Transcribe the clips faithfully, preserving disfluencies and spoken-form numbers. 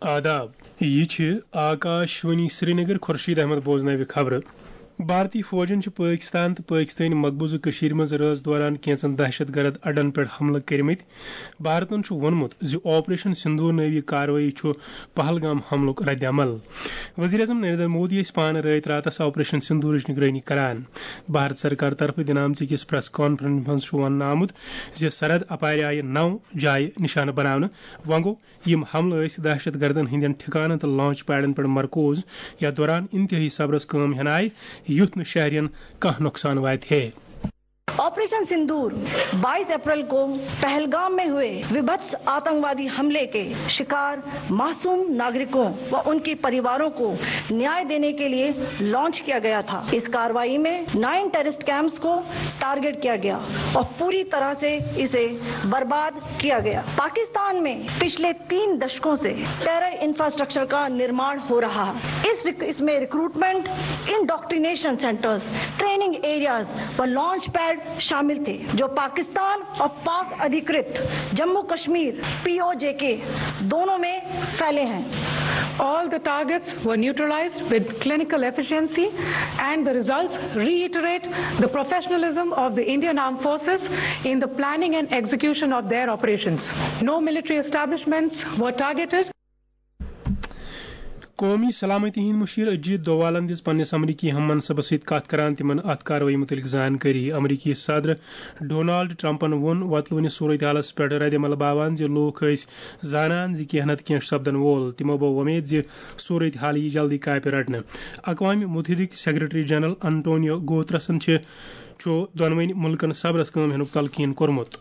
آداب، یہِ چھِ آکاش وانی سرینگر۔ خورشید احمد بوزناوِ خبرٕ۔ بھارتی فوجَن چھِ پٲکِستان تہٕ پٲکِستٲنۍ مقبوضہٕ کٔشیٖرِ منٛز رٲژ دوران کینٛژن دہشت گرد اڈن پٮ۪ٹھ حملہٕ کٔرمٕتۍ۔ بھارتَن چھُ ووٚنمُت زِ آپریشن سندور نٲوی کاروٲیی چھُ پہلگام حملُک رد عمل۔ وزیر اعظم نریندر مودی ٲسۍ پانہٕ رٲتۍ راتس آپریشن سندورٕچ نگرٲنی کران۔ بھارت سرکار طرفہٕ دِنہٕ آمژٕ أکِس پریس کانفرنس منٛز چھُ وننہٕ آمُت زِ سرحد اپارِ آیہِ نو جایہِ نشانہٕ بناونہٕ۔ وۄنۍ گوٚو، یِم حملہٕ ٲسۍ دہشت گردن ہٕنٛدٮ۪ن ٹھکانن تہٕ لانچ پیڈن پٮ۪ٹھ مرکوز، یتھ دوران انتہٲئی صبرس کٲم ہینایہِ، یُتھ نہٕ شہرین کانٛہہ نۄقصان واتہِ ہے۔ ऑपरेशन सिंदूर बाईस अप्रैल को पहलगाम में हुए विभत्स आतंकवादी हमले के शिकार मासूम नागरिकों व उनके परिवारों को न्याय देने के लिए लॉन्च किया गया था। इस कार्रवाई में नाइन टेररिस्ट कैंप्स को टारगेट किया गया और पूरी तरह से इसे बर्बाद किया गया। पाकिस्तान में पिछले तीन दशकों से टेरर इंफ्रास्ट्रक्चर का निर्माण हो रहा है। इस रिक, इसमें recruitment, indoctrination centres, training areas व लॉन्च पैड शामिल थे, जो पाकिस्तान और पाक अधिकृत जम्मू कश्मीर, पीओजेके, दोनों में फैले हैं। All the targets were neutralized with clinical efficiency, and the results reiterate the professionalism of the Indian Armed Forces in the planning and execution of their operations. No military establishments were targeted. قومی سلامتی ہٕنٛدۍ مُشیر اجیت دووالن دِژ پننِس امریکی ہم منصبس سۭتۍ کتھ کران تِمن اتھ کاروٲیی مُتعلق زانکٲری۔ امریکی صدر ڈونالڈ ٹرمپن ووٚن وۄتلوٕنِس صورتحالس پٮ۪ٹھ ردعمل باوان زِ لوٗکھ ٲسۍ زانان زِ کینٛہہ نتہٕ کینٛہہ چھُ سپدن وول۔ تِمو بوو وۄمید زِ صورتحال ییہِ جلدی کاپہِ رٹنہٕ۔ اقوام متحدٕکۍ سیکرٹری جنرل انٹونیو گوترسن چھِ چھُ دۄنوٕنۍ مُلکن صبرس کٲم ہینُک تلقین کوٚرمُت۔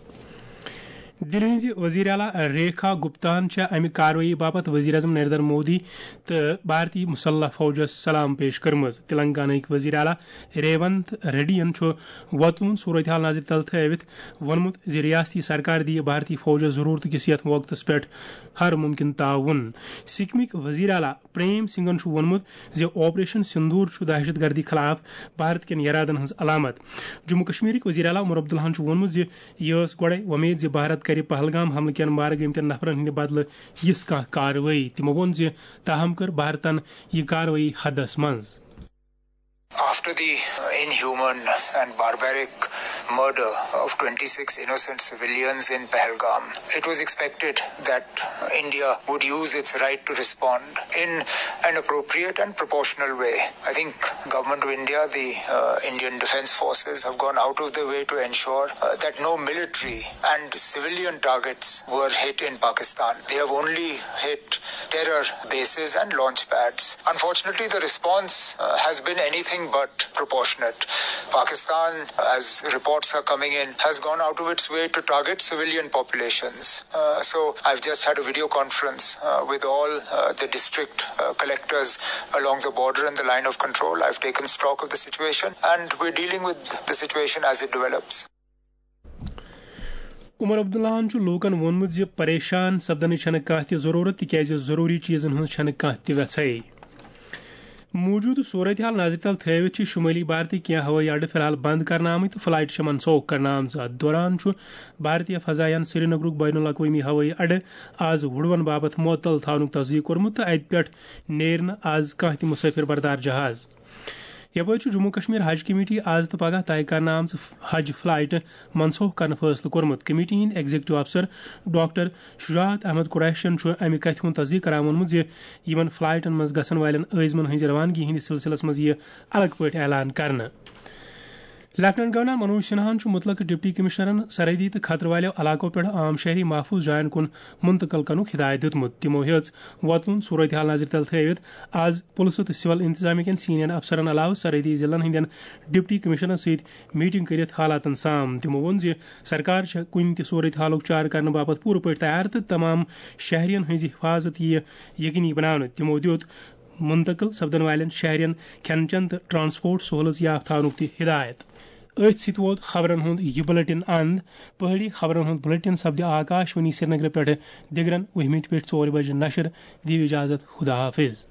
دِلہِ ہٕنٛزِ وزیر اعلیٰ ریکھا گپتاہن چھےٚ امہِ کاروٲیی باپتھ وزیر اعظم نریندر مودی تہٕ بھارتی مسلح فوجس سلام پیش کٔرمٕژ۔ تلنگانہ ہٕکۍ وزیر اعلیٰ ریونت ریڈی ین چھُ وۄتلوُن صورتحال نظرِ تل تھٲوِتھ ووٚنمُت زِ ریاستی سرکار دِیہِ بھارتی فوجس ضروٗرتہٕ کِس یتھ وقتس پٮ۪ٹھ ہر ممکن تعاون۔ سکمٕکۍ وزیر اعلیٰ پریم سنگھن چھُ ووٚنمُت زِ آپریشن سندور چھُ دہشت گردی خلاف بھارت کٮ۪ن یرادن ہٕنٛز علامت۔ جموں کشمیرٕکۍ وزیر اعلیٰ عمر عبداللہن چھُ ووٚنمُت زِ یہِ ٲس گۄڈَے وۄمید زِ بھارت کرِ پہلگام حملہٕ کٮ۪ن مارٕ گٔمتٮ۪ن نفرن ہٕنٛدِ بدلہٕ یِژھ کانٛہہ کاروٲیی۔ تِمو ووٚن زِ تاہم کٔر بھارتن یہِ کاروٲیی حدس منٛز۔ After the inhuman and barbaric murder of twenty-six innocent civilians in Pahalgam, it was expected that India would use its right to respond in an appropriate and proportional way. I think Government of India, the uh, Indian Defence Forces have gone out of their way to ensure uh, that no military and civilian targets were hit in Pakistan. They have only hit terror bases and launch pads. Unfortunately, the response uh, has been anything but proportionate. Pakistan, as reports are coming in, has gone out of its way to target civilian populations. Uh, so I've just had a video conference uh, with all uh, the district uh, collectors along the border and the line of control. I've taken stock of the situation, and we're dealing with the situation as it develops. عمر عبداللہن چھُ لوٗکن ووٚنمُت زِ پریشان سپدنٕچ چھنہٕ کانٛہہ تہِ ضروٗرت، تِکیازِ ضروٗری چیزن ہٕنٛز چھنہٕ کانٛہہ تہِ وٮ۪ژھے۔ موٗجوٗدٕ صورتحال نظرِ تل تھٲوِتھ چھِ شُمٲلی بھارتٕکۍ کینٛہہ ہوٲیی اڈٕ فی الحال بنٛد کرنہٕ آمٕتۍ تہٕ فلائٹ چھِ منسوخ کرنہٕ آمژٕ۔ اتھ دوران چھُ بھارتی فضایاہن سرینگرُک بین الاقوٲمی ہوٲیی اڈٕ آز وُڑوَن باپتھ معطل تھاونُک تصدیق کوٚرمُت تہٕ اتہِ پٮ۪ٹھ نیرِ نہٕ آز کانٛہہ تہِ مسافر بردار جہاز۔ یپٲرۍ چھُ جموں کشمیر حج کمیٹی آز تہٕ پگاہ طے کرنہٕ آمژٕ حج فلائٹ منسوخ کرنہٕ فٲصلہٕ کوٚرمُت۔ کمیٹی ہٕنٛدۍ ایگزیکٹو افسر ڈاکٹر شجاعت احمد قریشین چھُ امہِ کتھِ ہُنٛد تصدیق کران ووٚنمُت زِ یِمن فلائٹن منٛز گژھن والٮ۪ن عٲزمن ہٕنٛزِ روانگی ہٕنٛدِس سلسلس منٛز یِیہِ الگ پٲٹھۍ اعلان کرنہٕ۔ لیفٹیننٹ گورنر منوج سنہاہن چھُ مُتلقہٕ ڈپٹی کمشنرن سرحدی تہٕ خطرٕ والٮ۪و علاقو پٮ۪ٹھ عام شہری محفوظ جاین کُن منتقل کرنُک ہدایت دِیُتمُت۔ تِمو ہیٚژ وۄتلُن صورتحال نظرِ تل تھٲوِتھ آز پُلسہٕ تہٕ سول انتظامیہ کٮ۪ن سینئر افسرن علاوٕ سرحدی ضلعن ہٕنٛدٮ۪ن ڈپٹی کمشنرن سۭتۍ میٹنگ کٔرِتھ حالاتن سام۔ تِمو ووٚن زِ سرکار چھےٚ کُنہِ تہِ صورتحالُک چارٕ کرنہٕ باپتھ پوٗرٕ پٲٹھۍ تیار تہٕ تمام شہرین ہٕنٛزِ حفاظت یِیہِ یقینی بناونہٕ۔ تِمو دِیُت منتقل سپدن والٮ۪ن شہرین کھٮ۪ن چٮ۪ن تہٕ ٹرانسپورٹ سہولژ یافتہٕ تھاونُک تہِ ہدایت۔ أتھۍ سۭتۍ ووت خبرن ہُنٛد یہِ بُلٹن اند۔ پہٲڑی خبرن ہُنٛد بُلٹن سپدِ آکاش وانی سرینگرٕ پٮ۪ٹھٕ دِگرن وُہہِ مِنٹہِ پٮ۪ٹھ ژورِ بجہِ نشر۔ دِیِو اجازت، خدا حافظ۔